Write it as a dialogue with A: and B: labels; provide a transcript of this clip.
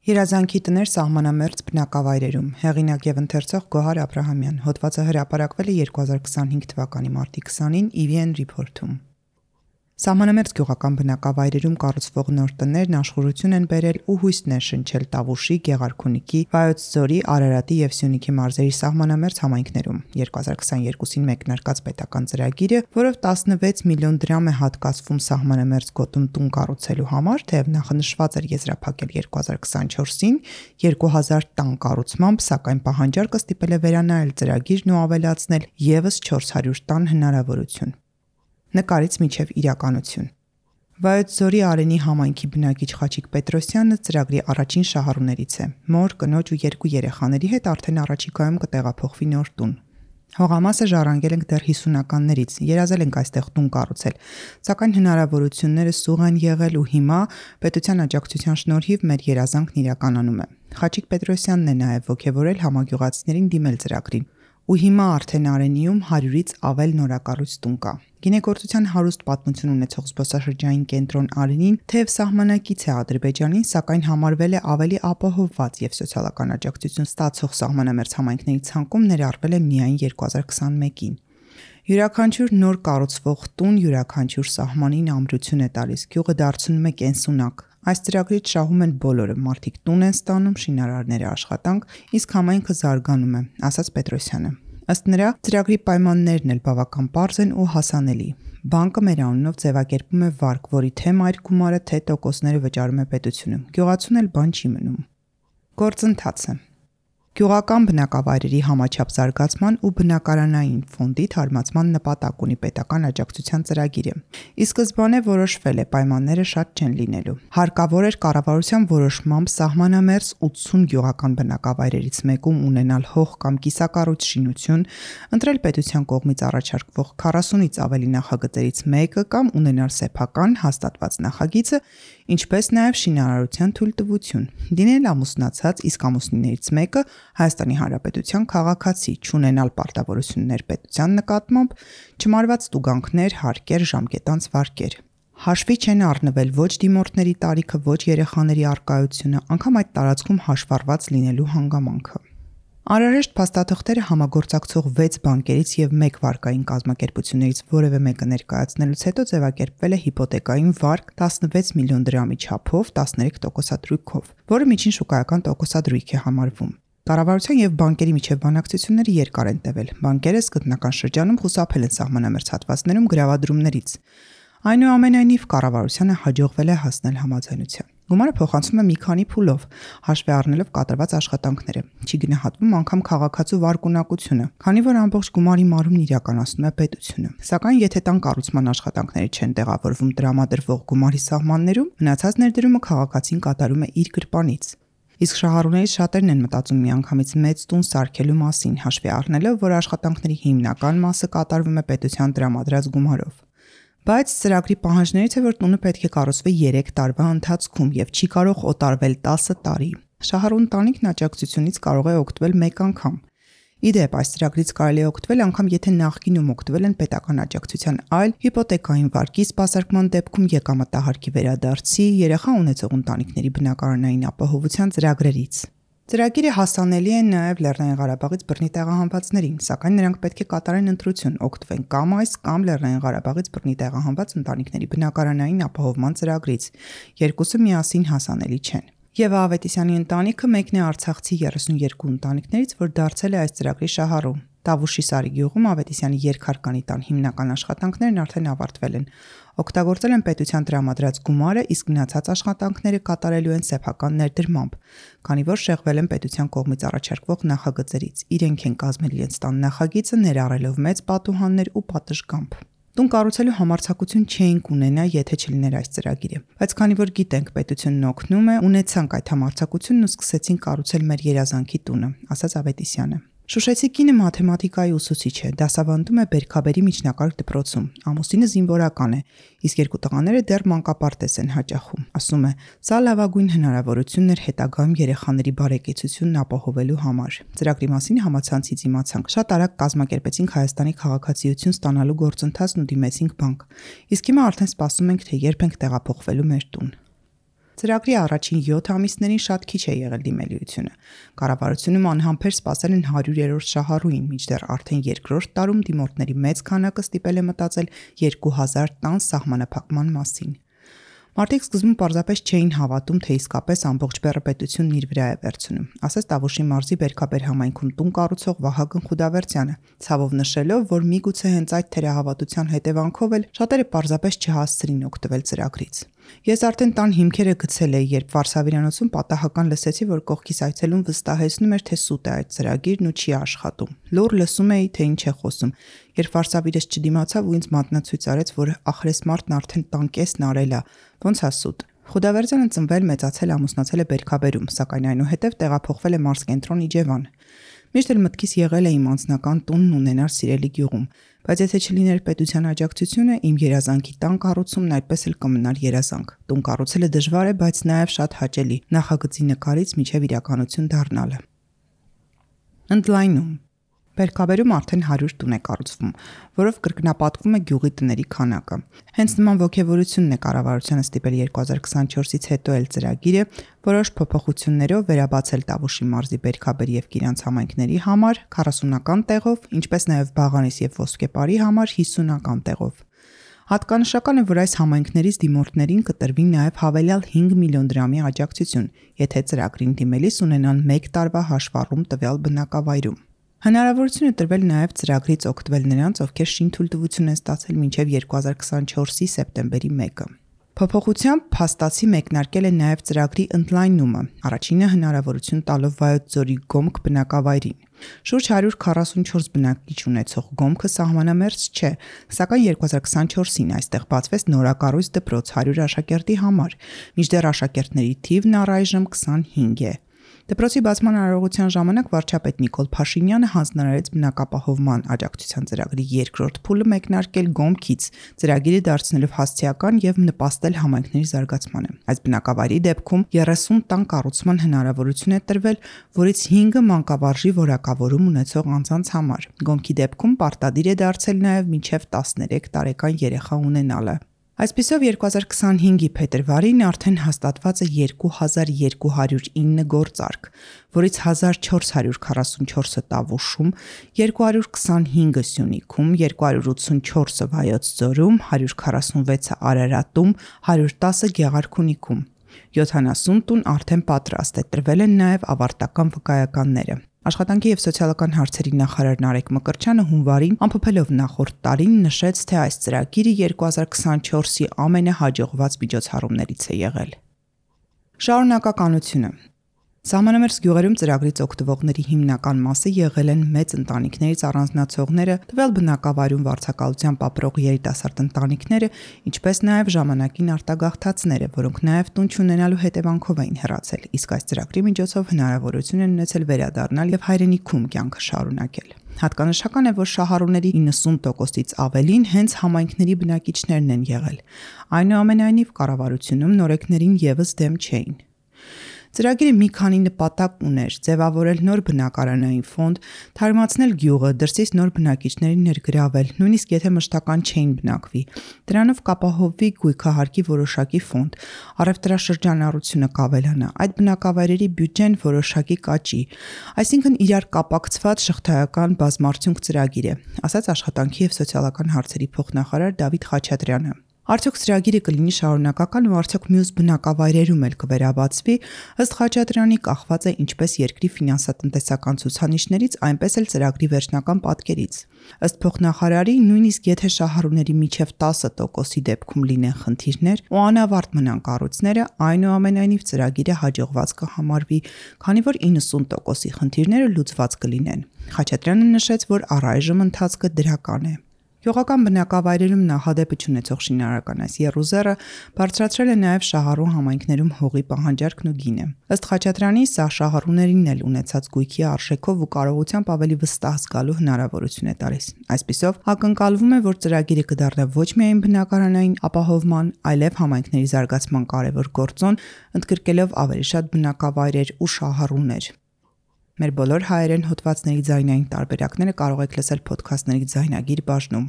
A: Երազանքի տներ սահմանամերձ բնակավայրերում, հեղինակ եւ ընթերցող Գոհար Աբրահամյան, հոդվածը հրապարակվել է 2025 թվականի մարտի 20-ին EVN Report-ում։ Սահմանամերձ գյուղական բնակավայրերում կառուցվող նոր տներն աշխուժություն են բերել ու հույսն են շնչել Տավուշի, Գեղարքունիքի, Վայոց ձորի, Արարատի եւ Սյունիքի մարզերի սահմանամերձ համայնքներում։ 2022-ին մեկնարկած պետական ծրագիրը, որով 16 միլիոն դրամ է հատկացվում սահմանամերձ գոտում տուն կառուցելու համար, թեև նախնշված էր եզրափակել 2024-ին 2000 տան կառուցմամբ, սակայն պահանջարկը ստիպել է վերանայել ծրագիրն ու ավելացնել եւս 400 տան հնարավորություն։ Նկարից մինչև իրականություն։ Վայոց ձորի Արենի համայնքի բնակիչ Խաչիկ Պետրոսյանը ծրագրի առաջին շահառուներից է։ Մոր, կնոջ ու 2 երեխաների հետ արդեն առաջիկայում կտեղափոխվի նոր տուն։ Հողամասը ժառանգել ենք դեռ 50-ականներից, երազել ենք այստեղ տուն կառուցել, սակայն հնարավորությունները սուղ են եղել ու հիմա պետության աջակցության շնորհիվ մեր երազանքն իրականանում է։ Խաչիկ Պետրոսյանն է նաև ոգևորել համագյուղացիներին դիմել ծրագրին։ Ու հիմա արդեն Արենիում 100-ից ավել նորակառույց տուն կա։ Գինեգործության հարուստ պատմություն ունեցող զբոսաշրջային կենտրոն Արենին թեև սահմանակից է Ադրբեջանին, սակայն համարվել է ավելի ապահովված եւ սոցիալական աջակցություն ստացող սահմանամերձ համայնքների ցանկում ներառվել է միայն 2021-ին։ Յուրաքանչյուր նոր կառուցվող տուն յուրաքանչյուր սահմանին ամրություն է տալիս, գյուղը դարձնում է կենսունակ։ Այս ծրագրից շահում են բոլորը, մարդիկ տուն են ստանում, շինարարները աշխատանք, իսկ համայնքը զարգանում է, ասաց Պետրոսյանը։ Ըստ նրա, ծրագրի պայմաններն էլ բավական պարզ են ու հասանելի։ Բանկը մեր անունով ձևակերպում է վարկ, որի թե մայր գումարը, թե տոկոսները վճարում է պետությունը։ Գյուղացուն էլ բան չի մնում։ Գործընթացը։ Գյուղական բնակավայրերի համաչափ զարգացման ու բնակարանային ֆոնդի թարմացման նպատակ ունի պետական աջակցության ծրագիրը։ Ի սկզբանե որոշվել է պայմանները շատ չեն լինելու։ Հարկավոր էր կառավարության որոշմամբ սահմանամերձ 80 գյուղական բնակավայրերից մեկում ունենալ հող կամ կիսակառույց շինություն, ընտրել պետության կողմից առաջարկվող 40-ից ավելի նախագծերից մեկը կամ ունենալ սեփական հաստատված նախագիծը, ինչպես նաև շինարարության թույլտվություն։ Դինել ամուսնացած, իսկ ամուսնիներից մեկը Հայաստանի Հանրապետության քաղաքացի, չունենալ պարտավորություններ պետության նկատմամբ, չմարված տուգանքներ, հարկեր, ժամկետանց վարկեր։ Հաշվի չեն առնվել ոչ դիմորդների տարիքը, ոչ երեխաների առկայությունը, անգամ այդ տարածքում հաշվառված լինելու հանգամանքը։ Անհրաժեշտ փաստաթղթերը համագործակցող 6 բանկերից եւ 1 վարկային կազմակերպություններից որևէ մեկը ներկայացնելուց հետո ձևակերպվել է հիպոթեկային վարկ 16 միլիոն դրամի չափով 13% տոկոսադրույքով, որը միջին շուկայական տոկոսադրույք է համարվում։ Կառավարության եւ բանկերի միջև բանակցությունները երկար են տևել։ Բանկերը սկզբնական շրջանում խուսափել են սահմանամերձ հատվածներում գրավադրումներից։ Այնուամենայնիվ կառավարությանը հաջողվել է հասնել համաձայնության։ Գումարը փոխանցվում է մի քանի փուլով, հաշվի առնելով կատարված աշխատանքները։ Չի գնահատվում անգամ քաղաքացու վարկունակությունը, քանի որ ամբողջ գումարի մարումն իրականացնում է պետությունը։ Սակայն եթե տան կառուցման աշխատանքները չեն տեղավորվում տրամադրվող գումարի սահմաններում, մնացած ներդրումը քաղաքացին կատարում է իր գրպանից։ Իսկ շահառուներից շատերն են մտածում միանգամից մեծ տուն սարքելու մասին, հաշվի առնելով, որ աշխատանքների հիմնական մասը կատարվում է պետության տրամադրած գումարով։ Բայց ծրագրի պահանջներից է, որ տունը պետք է կառուցվի 3 տարվա ընթացքում եւ չի կարող օտարվել 10 տարի։ Շահառու ընտանիքն աջակցությունից կարող է օգտվել մեկ անգամ։ Ի դեպ, այս ծրագրից կարելի է օգտվել անգամ եթե նախկինում օգտվել են պետական աջակցության այլ հիպոթեկային վարկի սպասարկման դեպքում եկամտահարկի վերադարձի, երեխա ունեցող ընտանիքների բնակարանային ապահովության ծրագրերից։ Ծրագիրը հասանելի է նաև Լեռնային Ղարաբաղից բռնի տեղահանվածներին, սակայն նրանք պետք է կատարեն ընտրություն, օգտվեն կամ այս կամ Լեռնային Ղարաբաղից բռնի տեղահանված ընտանիքների բնակարանային ապահովման ծրագրից։ Երկուսը միասին հասանելի չեն։ Եվա Ավետիսյանի ընտանիքը մեկն է Արցախցի 32 ընտանիքներից, որ դարձել է այս ծրագրի շահառու։ Տավուշի Սարի գյուղում Ավետիսյանի երկհարկանի տան հիմնական աշխատանքներն արդեն ավարտվել են։ Օգտագործել են պետության տրամադրած գումարը, իսկ մնացած աշխատանքները կատարելու են սեփական ներդրմամբ, քանի որ շեղվել են պետության կողմից առաջարկվող նախագծերից։ Իրենք են կազմել իրենց տան նախագիծը, ներառելով մեծ պատուհաններ ու պատշգամբ։ Տուն կառուցելու համարձակություն չէինք ունենա, եթե չլիներ այս ծրագիրը։ Բայց քանի որ գիտենք պետությունն օգնում է, ունեցանք այդ համարձակությունն ու սկսեցինք կառուցել մեր երազանքի տունը, ասաց Ավետիսյանը։ Շուշեցի կինը մաթեմատիկայի ուսուցիչ է, դասավանդում է Բերքաբերի միջնակարգ դպրոցում։ Ամուսինը զինվորական է, իսկ 2 տղաները դեռ մանկապարտեզ են հաճախում։ Ասում է, սա լավագույն հնարավորությունն էր հետագայում երեխաների բարեկեցությունն ապահովելու համար։ Ծրագրի մասին համացանցից իմացանք։ Շատ արագ կազմակերպեցինք Հայաստանի քաղաքացիություն ստանալու գործընթացն ու դիմեցինք բանկ։ Իսկ հիմա արդեն սպասում ենք, թե երբ ենք տեղափոխվելու մեր տուն։ Ծրագրի առաջին 7 ամիսներին շատ քիչ է եղել դիմելիությունը։ Կառավարությունում անհամբեր սպասել են 100-րդ շահառուին, մինչդեռ արդեն երկրորդ տարում դիմորդների մեծ քանակը ստիպել է մտածել 2000 տան սահմանափակման մասին։ Մարդիկ սկզբում պարզապես չէին հավատում, թե իսկապես ամբողջ բեռը պետությունն իր վրա է վերցնում, ասաց Տավուշի մարզի Բերքաբեր համայնքում տուն կառուցող Վահագն Խուդավերդյանը, ցավով նշելով, որ միգուցե հենց այդ թերահավատության հետևանքով էլ շատերը պարզապես չհասցրին օգտվել ծրագրից։ Ես արդեն տան հիմքերը գցել էի, երբ Վարշավիրանոցում պատահական լսեցի, որ կողքիս այցելուն վստահեցնում էր, թե սուտ է այդ ծրագիրն ու չի աշխատում։ Լուր լսում էի, թե ինչ է խոսում։ Երբ Վարշավիրս չդիմացավ ու ինձ մատնացույց արեց, որ ախրես մարդն արդեն տան կեսն արել է, ոնց է սուտ։ Խուդավերդյանը ծնվել, մեծացել, ամուսնացել է Բերքաբերում, սակայն այնուհետև տեղափոխվել է մարզկենտրոն Իջևան։ Միշտ էլ մտքիս եղել է իմ անձնական տունն ունենալ Սիրելի գյուղում, բայց եթե չլիներ պետության աջակցությունը, իմ երազանքի տան կառուցումն այդպես էլ կմնար երազանք։ Տուն կառուցելը դժվար է, բայց նաև շատ հաճելի, նախագծի նկարից մինչև իրականություն դառնալը։ Ընդլայնում Բերքաբերում արդեն 100 տուն է կառուցվում, որով կրկնապատկվում է գյուղի տների քանակը։ Հենց նման ոգևորությունն է կառավարությանը ստիպել 2024-ից հետո էլ ծրագիրը որոշ փոփոխություններով վերաբացել Տավուշի մարզի Բերքաբեր եւ Կիրանց համայնքների համար 40-ական տեղով, ինչպես նաև Բաղանիս եւ Ոսկեպարի համար 50-ական տեղով։ Հատկանշական է, որ այս համայնքներից դիմորդներին կտրվի նաև հավելյալ 5 միլիոն դրամի աջակցություն, եթե ծրագրին դիմելիս ունենան 1 տարվա հաշվառում տվյալ բնակավայրում։ Հնարավորություն է տրվել նաև ծրագրից օգտվել նրանց, ովքեր շինթույլտվություն են ստացել մինչև 2024-ի սեպտեմբերի 1-ը։ Փոփոխությամբ փաստացի մեկնարկել է նաև ծրագրի ընդլայնումը, առաջինը հնարավորություն տալով Վայոց ձորի Գոմք բնակավայրին։ Շուրջ 144 բնակիչ ունեցող Գոմքը սահմանամերձ չէ, սակայն 2024-ին այստեղ բացվեց նորակառույց դպրոց 100 աշակերտի համար, մինչդեռ աշակերտների թիվն առայժմ 25 է։ Դպրոցի բացման արարողության ժամանակ վարչապետ Նիկոլ Փաշինյանը հանձնարարեց բնակապահովման աջակցության ծրագրի երկրորդ փուլը մեկնարկել Գոմքից, ծրագիրը դարձնելով հասցեական եւ նպաստել համայնքների զարգացմանը։ Այս բնակավայրի դեպքում 30 տան կառուցման հնարավորություն է տրվել, որից 5-ը մանկավարժի որակավորում ունեցող անձանց համար։ Գոմքի դեպքում պարտադիր է դարձել նաեւ մինչեւ 13 տարեկան երեխա ունենալը։ Այսպիսով 2025-ի փետրվարին արդեն հաստատված է 2209 գործարք, որից 1444-ը Տավուշում, 225-ը Սյունիքում, 284-ը Վայոց ձորում, 146-ը Արարատում, 110-ը Գեղարքունիքում։ 70 տուն արդեն պատրաստ է, տրվել են նաև ավարտական վկայականները։ Աշխատանքի եւ սոցիալական հարցերի նախարար Նարեկ Մկրտչյանը հունվարին ամփոփելով նախորդ տարին նշեց, թե այս ծրագիրը 2024-ի ամենահաջողված միջոցառումներից է եղել։ Շարունակականությունը Սահմանամերձ գյուղերում ծրագրից օգտվողների հիմնական մասը եղել են մեծ ընտանիքներից առանձնացողները, տվյալ բնակավայրում վարձակալությամբ ապրող երիտասարդ ընտանիքները, ինչպես նաև ժամանակին արտագաղթածները, որոնք նաև տուն չունենալու հետևանքով էին հեռացել, իսկ այս ծրագրի միջոցով հնարավորություն են ունեցել վերադառնալ եւ հայրենիքում կյանքը շարունակել։ Հատկանշական է, որ շահառուների 90%-ից ավելին հենց համայնքների բնակիչներն են եղել։ Այնուամենայնիվ կառավարությունում նորեկներին եւս դեմ չէին։ Ծրագիրը մի քանի նպատակ ուներ՝ ձևավորել նոր բնակարանային ֆոնդ, թարմացնել գյուղը, դրսից նոր բնակիչներին ներգրավել, նույնիսկ եթե մշտական չէին բնակվի։ Դրանով կապահովվի գույքահարկի որոշակի ֆոնդ, առևտրաշրջանառությունը կավելանա, այդ բնակավայրերի բյուջեն որոշակի կաճի, այսինքն իրար կապակցված շղթայական բազմարդյունք ծրագիր է, ասաց աշխատանքի եւ սոցիալական հարցերի փոխնախարար Դավիթ Խաչատրյանը։ Արդյոք ծրագիրը կլինի շարունակական ու արդյոք մյուս բնակավայրերում էլ կվերաբացվի, ըստ Խաչատրյանի կախված է ինչպես երկրի ֆինանսատնտեսական ցուցանիշներից, այնպես էլ ծրագրի վերջնական պատկերից։ Ըստ փոխնախարարի, նույնիսկ եթե շահառուների միջև 10%-ի դեպքում լինեն խնդիրներ ու անավարտ մնան կառույցները, այնուամենայնիվ ծրագիրը հաջողված կհամարվի, քանի որ 90%-ի խնդիրները լուծված կլինեն։ Խաչատրյանը նշեց, որ առայժմ ընթացքը դրական է։ Գյուղական բնակավայրերում նախադեպը չունեցող շինարարական այս եռուզեռը բարձրացրել է նաև շահառու համայնքներում հողի պահանջարկն ու գինը։ Ըստ Խաչատրյանի, սա շահառուներին էլ ունեցած գույքի արժեքով ու կարողությամբ ավելի վստահ զգալու հնարավորություն է տալիս։ Այսպիսով, ակնկալվում է, որ ծրագիրը կդառնա ոչ միայն բնակարանային ապահովման, այլև համայնքների զարգացման կարևոր գործոն, ընդգրկելով ավելի շատ բնակավայրեր ու շահառուներ։ Մեր բոլոր հայերեն հոդվածների ձայնային տարբերակները կարող եք լսել փոդքասթների ձայնագիր բաժնում։